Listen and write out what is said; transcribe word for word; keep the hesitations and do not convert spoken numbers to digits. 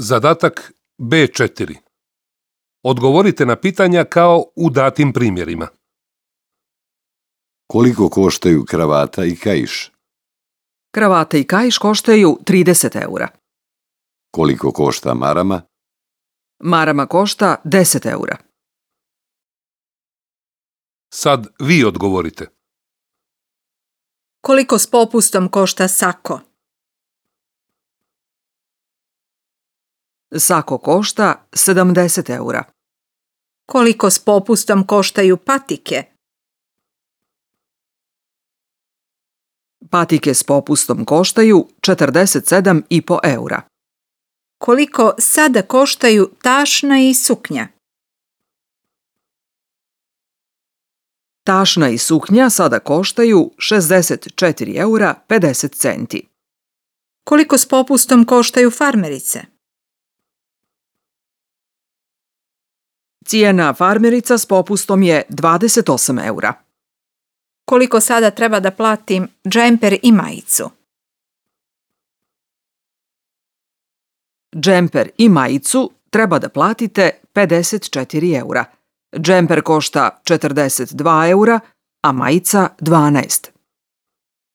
Zadatak be četiri. Odgovorite na pitanja kao u datim primjerima. Koliko koštaju kravata i kaiš? Kravata i kaiš koštaju trideset eura. Koliko košta marama? Marama košta deset eura. Sad vi odgovorite. Koliko s popustom košta sako? Sako košta sedamdeset eura. Koliko s popustom koštaju patike? Patike s popustom koštaju četrdeset sedam i po eura. Koliko sada koštaju tašna i suknja? Tašna i suknja sada koštaju šezdeset četiri eura pedeset centi. Koliko s popustom koštaju farmerice? Cijena farmerica s popustom je dvadeset osam eura. Koliko sada treba da platim džemper i majicu? Džemper i majicu treba da platite pedeset četiri eura. Džemper košta četrdeset dva eura, a majica dvanaest.